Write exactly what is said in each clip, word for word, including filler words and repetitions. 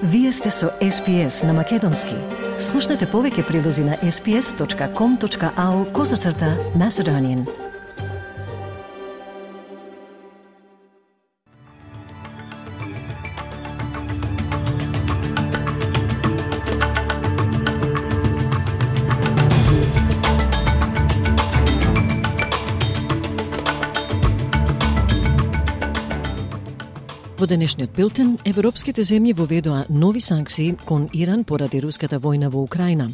Вие сте со Ес Пи Ес на Македонски. Слушнете повеќе прилози на ес пи ес точка ком точка ау козацрта Macedonian. Во денешниот билтен, европските земји воведоа нови санкции кон Иран поради руската војна во Украина.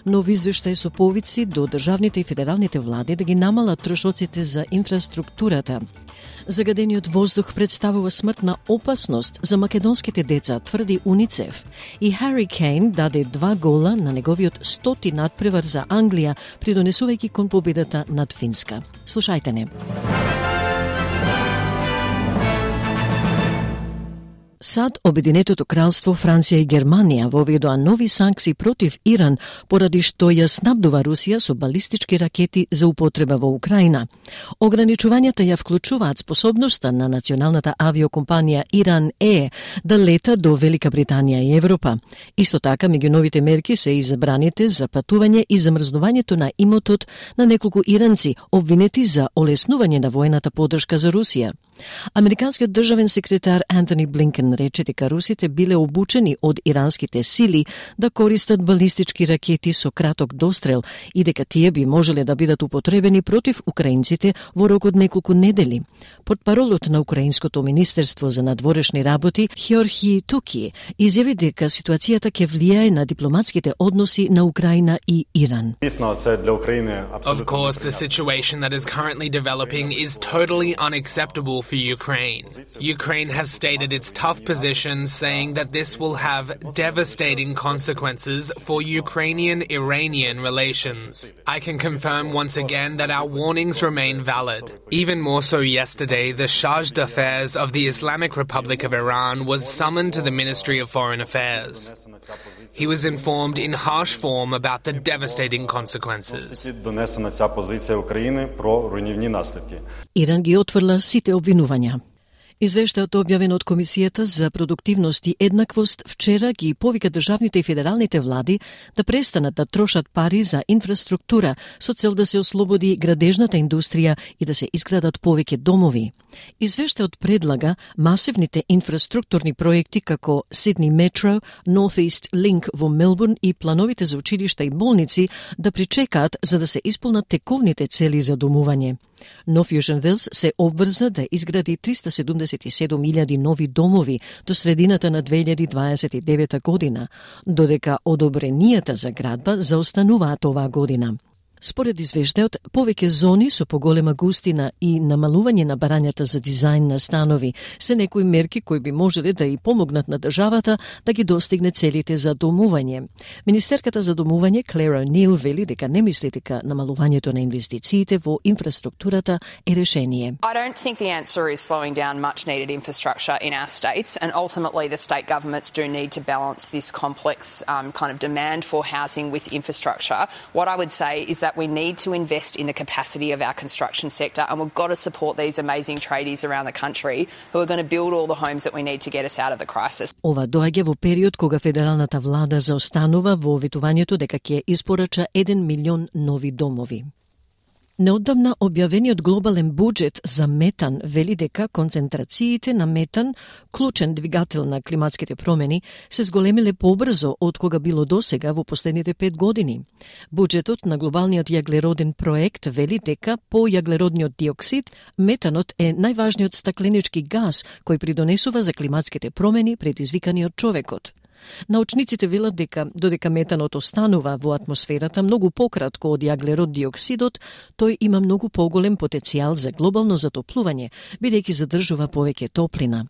Нов извештај со повици до државните и федералните влади да ги намалат трошоците за инфраструктурата. Загадениот воздух представува смртна опасност за македонските деца, тврди Уницеф. И Хари Кейн даде два гола на неговиот стоти надпревар за Англија, придонесувајќи кон победата над Финска. Слушајте не. САД, Обединетото кралство, Франција и Германија воведоа нови санкции против Иран поради што ја снабдува Русија со балистички ракети за употреба во Украина. Ограничувањата ја вклучуваат способноста на националната авиокомпанија Иран Е да лета до Велика Британија и Европа. Исто така, меѓу новите мерки се и забраните за патување и замрзнувањето на имотот на неколку иранци обвинети за олеснување на војната поддршка за Русија. Американскиот државен секретар Антони Блинкен рече дека русите биле обучени од иранските сили да користат балистички ракети со краток дострел и дека тие би можеле да бидат употребени против украинците во рок од неколку недели. Портпаролот на Украинското министерство за надворешни работи Хјорхи Туки изјави дека ситуацијата ќе влијае на дипломатските односи на Украина и Иран. Of course, the situation that is currently developing is totally unacceptable for Ukraine. Ukraine has stated its tough position, saying that this will have devastating consequences for Ukrainian-Iranian relations. I can confirm once again that our warnings remain valid. Even more so yesterday, the Chargé d'Affaires of the Islamic Republic of Iran was summoned to the Ministry of Foreign Affairs. He was informed in harsh form about the devastating consequences. Иран ги отврла сите обвинувања. Извештајот објавен од Комисијата за продуктивност и еднаквост вчера ги повика државните и федералните влади да престанат да трошат пари за инфраструктура со цел да се ослободи градежната индустрија и да се изградат повеќе домови. Извештајот предлага масивните инфраструктурни проекти како Сидни Метро, North East Link во Мелбурн и плановите за училишта и болници да причекаат за да се исполнат тековните цели за домување. Нов Јужен Велс се обврза да изгради триста седумдесет и седум илјади нови домови до средината на две илјади дваесет и девета година, додека одобренијата за градба заостануваат оваа година. Според извештајот, повеќе зони со поголема густина и намалување на барањата за дизајн на станови се некои мерки кои би можеле да и помогнат на државата да ги достигне целите за домување. Министерката за домување Клера Нил вели дека не мисли дека намалувањето на инвестициите во инфраструктурата е решение. I don't think the answer is slowing down much needed infrastructure in our states, and ultimately the state governments do need to balance this complex um, kind of demand for housing with infrastructure. What I would say is that we need to invest in the capacity of our construction sector, and we've got to support these amazing tradies around the country who are going to build all the homes that we need to get us out of the crisis. Ова доаѓа во период кога федералната влада заостанува во ветувањето дека ќе испорача еден милион нови домови. Неодамна објавениот глобален буџет за метан вели дека концентрациите на метан, клучен двигател на климатските промени, се зголемиле побрзо од кога било досега во последните пет години. Буџетот на глобалниот јаглероден проект вели дека по јаглеродниот диоксид, метанот е најважниот стакленички газ кој придонесува за климатските промени предизвикани од човекот. Научниците велат дека додека метанот останува во атмосферата многу пократко од јаглерод диоксидот, тој има многу поголем потенцијал за глобално затоплување, бидејќи задржува повеќе топлина.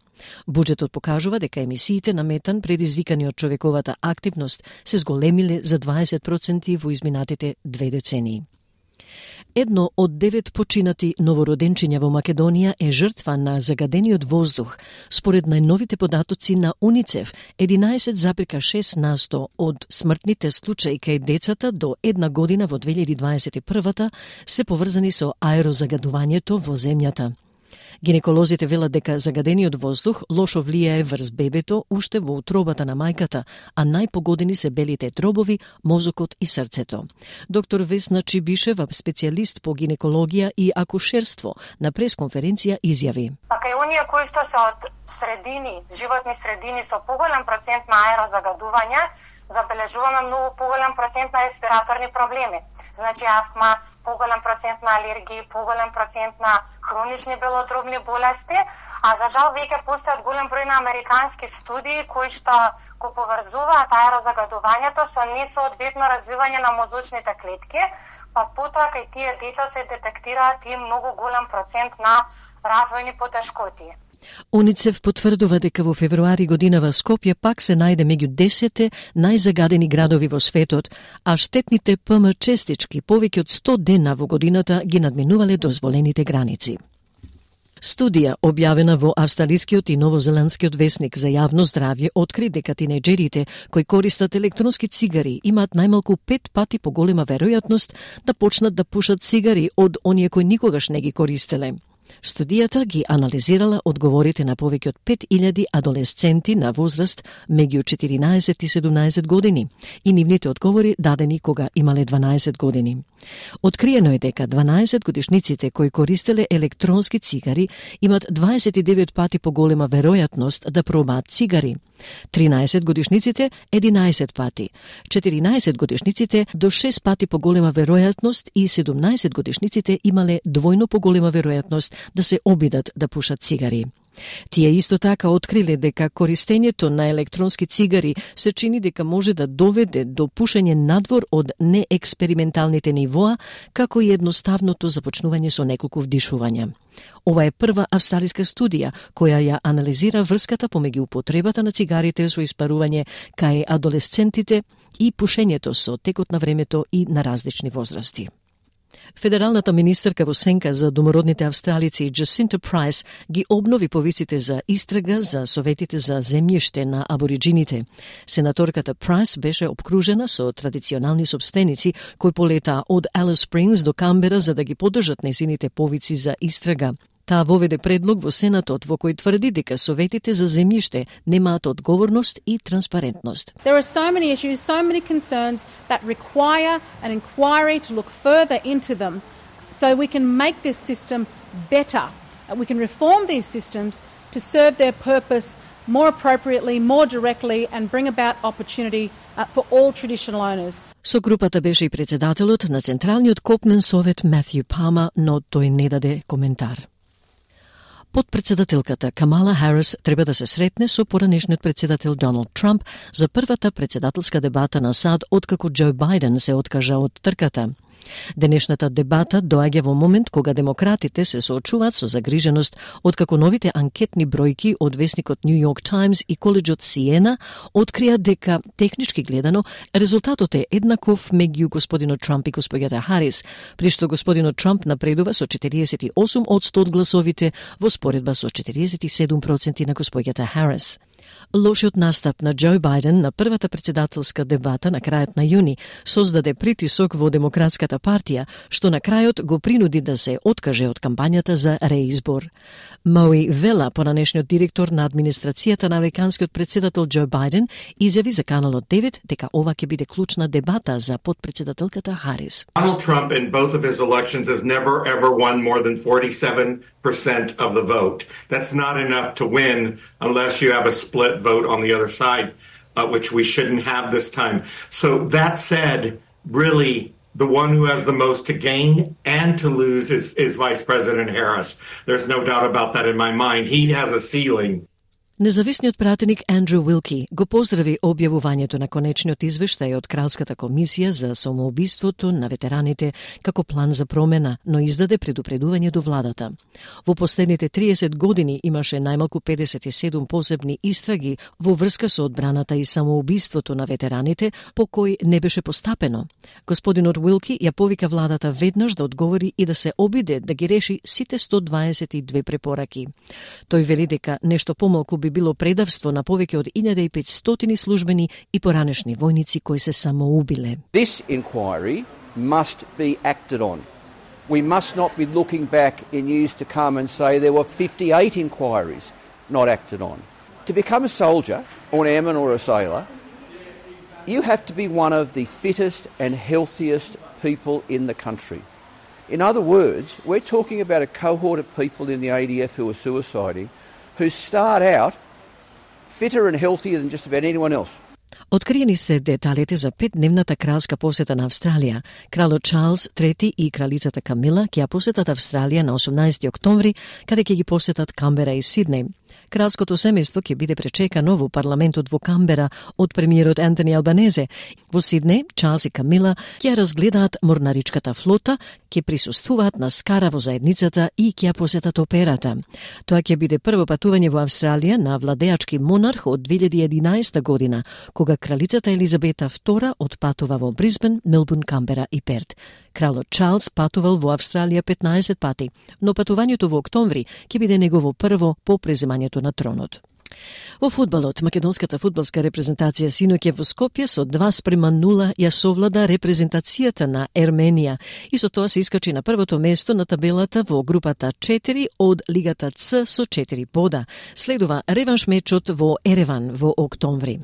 Буџетот покажува дека емисиите на метан предизвикани од човековата активност се зголемиле за дваесет проценти во изминатите две децении. Едно од девет починати новороденчиња во Македонија е жртва на загадениот воздух. Според најновите податоци на Уницеф, единаесет запирка шест на сто од смртните случаи кај децата до една година во две илјади дваесет и прва се поврзани со аерозагадувањето во земјата. Гинеколозите велат дека загадениот воздух лошо влијае врз бебето уште во утробата на мајката, а најпогодени се белите дробови, мозокот и срцето. Доктор Весна Чибишева, специјалист по гинекологија и акушерство, на пресконференција изјави: Па кај оние кои што се од средини, животни средини со поголем процент на аерозагадување, забележуваме многу поголем процент на респираторни проблеми. Значи астма, поголем процент на алергии, поголем процент на хронични белодробни болести, а за жал веќе постојат голем број на американски студии кои што го поврзуваат аерозагадувањето со несоодветно развивање на мозочните клетки, па потоа кај тие деца се детектираат и многу голем процент на развојни потешкоти. УНИЦЕФ потврдува дека во февруари годинава Скопје пак се најде меѓу десет најзагадени градови во светот, а штетните П М честички повеќе од сто дена во годината ги надминувале дозволените граници. Студија, објавена во австралискиот и новозеландскиот весник за јавно здравје, откри дека тинеџерите кои користат електронски цигари имаат најмалку пет пати поголема веројатност да почнат да пушат цигари од оние кои никогаш не ги користеле. Студијата ги анализирала одговорите на повеќе од пет илјади адолесценти на возраст меѓу четиринаесет и седумнаесет години и нивните одговори дадени кога имале дванаесет години. Откриено е дека дванаесет годишниците кои користеле електронски цигари имат дваесет и девет пати поголема веројатност да пробаат цигари, тринаесет годишниците единаесет пати, четиринаесет годишниците до шест пати поголема веројатност и седумнаесет годишниците имале двојно поголема веројатност да се обидат да пушат цигари. Тие исто така откриле дека користењето на електронски цигари се чини дека може да доведе до пушење надвор од неексперименталните нивоа, како и едноставното започнување со неколку вдишувања. Ова е прва австралиска студија која ја анализира врската помеѓу употребата на цигарите со испарување кај адолесцентите и пушењето со текот на времето и на различни возрасти. Федералната министерка во сенка за домородните австралици Джасинта Прайс ги обнови повиците за истрага за советите за земјиште на абориджините. Сенаторката Прайс беше обкружена со традиционални собственици кои полетаа од Алис Спрингс до Камбера за да ги поддржат незините повици за истрага. Таа воведе предлог во Сенатот во кој тврди дека советите за земјиште немаат одговорност и транспарентност. There are so many issues, so many concerns that require an inquiry to look further into them so we can make this system better. We can reform these systems to serve their purpose more appropriately, more directly and bring about opportunity uh, for all traditional owners. Со групата беше и председателот на Централниот копнен совет Матју Пама, но тој не даде коментар. Подпредседателката Камала Харис треба да се сретне со поранешниот председател Доналд Трамп за првата председателска дебата на САД откако Џо Бајден се откажа од трката. Денешната дебата доаѓа во момент кога демократите се соочуваат со загриженост откако новите анкетни бројки од весникот Нью Йорк Таймс и коледжот Сиена открија дека технички гледано резултатот е еднаков меѓу господинот Трамп и господјата Харис, при што господинот Трамп напредува со четириесет и осум одсто од гласовите во споредба со четириесет и седум проценти на господјата Харис. Лошиот настап на Џо Бајден на првата председателска дебата на крајот на јуни создаде притисок во Демократската партија, што на крајот го принуди да се откаже од кампањата за реизбор. Мои Вела, поранешниот директор на администрацијата на американскиот председател Џо Бајден, изјави за Каналот девет дека ова ќе биде клучна дебата за подпредседателката Харис. Donald Trump in both of his elections has never ever won more than forty-seven percent of the vote. That's not enough to win unless you have a split vote on the other side, uh, which we shouldn't have this time. So that said, really, the one who has the most to gain and to lose is, is Vice President Harris. There's no doubt about that in my mind. He has a ceiling. Независниот пратеник Андрю Уилки го поздрави објавувањето на конечниот извештај од Кралската комисија за самоубиството на ветераните како план за промена, но издаде предупредување до владата. Во последните триесет години имаше најмалку педесет и седум посебни истраги во врска со одбраната и самоубиството на ветераните, по кој не беше постапено. Господинот Уилки ја повика владата веднаш да одговори и да се обиде да ги реши сите сто дваесет и две препораки. Тој вели дека нешто помалку би било предавство на повеќе од илјада и петстотини службени и поранешни војници кои се самоубиле. This inquiry must be acted on. We must not be looking back in years to come and say there were fifty-eight inquiries not acted on. To become a soldier, or an airman or a sailor, you have to be one of the fittest and healthiest people in the country. In other words, we're talking about a cohort of people in the A D F who are suiciding, who start out fitter and healthier than just about anyone else. Откриени се деталите за петдневната кралска посета на Австралија. Кралот Чарлс трети и кралицата Камила ќе ја посетат Австралија на осумнаесети октомври, каде ќе ги посетат Камбера и Сиднеј. Кралското семејство ќе биде пречекано во парламентот во Камбера од премиерот Антони Албанезе. Во Сиднеј, Чарлс и Камила ќе разгледаат морнаричката флота, ќе присуствуваат на скара во заедницата и ќе ја посетат операта. Тоа ќе биде прво патување во Австралија на владеачки монарх од две илјади и единаесета година, кога кралицата Елизабета втора отпатува во Брисбен, Мелбурн, Камбера и Перт. Кралот Чарлс патувал во Австралија петнаесет пати, но патувањето во октомври ќе биде негово прво по преземањето на тронот. Во фудбалот, македонската фудбалска репрезентација синоќа во Скопје со два спрема нула ја совлада репрезентацијата на Ерменија и со тоа се искачи на првото место на табелата во групата четири од Лигата Ц со четири бода. Следува реванш мечот во Ереван во октомври.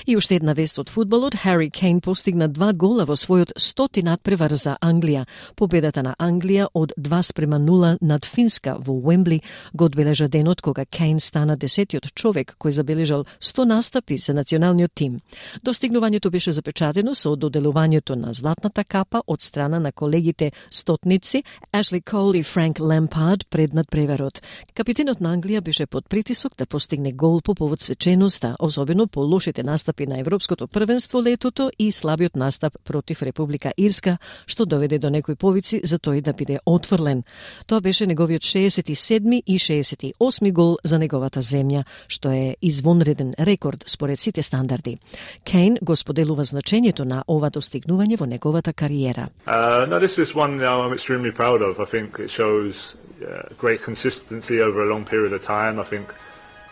И уште една вест од фудбалот, Хари Кейн постигна два гола во својот стоти надпревар за Англија. Победата на Англија од два спрема нула над Финска во Уембли го одбележа денот кога Кейн стана десетиот човек кој забележал сто настапи за националниот тим. Достигнувањето беше запечатено со доделувањето на златната капа од страна на колегите стотници Ашли Кол и Франк Лемпард пред надпреварот. Капитенот на Англија беше под притисок да постигне гол по повод свеченоста, особено по лошите настапи на Европското првенство летото и слабиот настап против Република Ирска, што доведе до некои повици за тој да биде отфрлен. Тоа беше неговиот шеесет и седми и шеесет и осми гол за неговата земја, што е извонреден рекорд според сите стандарди. Кейн го споделува значењето на ова достигнување во неговата кариера. Uh, no, this is one I'm extremely proud of. I think it shows uh, great consistency over a long period of time. I think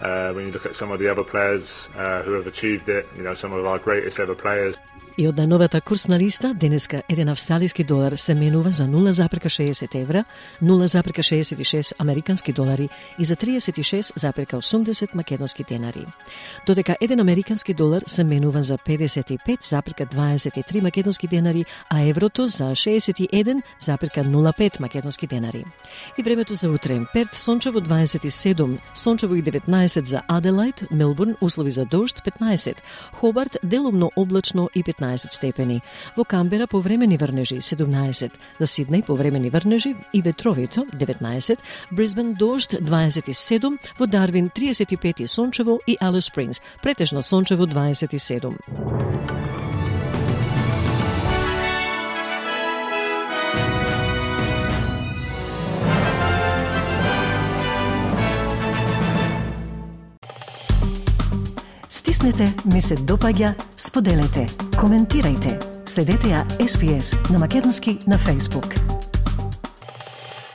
uh, when you look at some of the other players uh, who have achieved it, you know, some of our greatest ever players. И од најновата курсна листа, денеска еден австралиски долар се менува за нула запирка шеесет евра, нула запирка шеесет и шест американски долари и за триесет и шест запирка осумдесет македонски денари. Додека еден американски долар се менува за педесет и пет запирка дваесет и три македонски денари, а еврото за шеесет и еден запирка нула пет македонски денари. И времето за утре: Перт сончево дваесет и седум, сончево и деветнаесет за Аделајд, Мелбурн услови за дожд петнаесет, Хобарт делумно облачно и петнаесет степени. Во Камбера повремени врнежи седумнаесет, за Сиднеј повремени врнежи и ветровито деветнаесет, Брисбен дожд дваесет и седум, во Дарвин триесет и пет и сончево и Алис Спрингс претежно сончево дваесет и седум. Стиснете, ми се допаѓа, споделете, коментирајте. Следете ја Ес Би Ес на македонски на Facebook.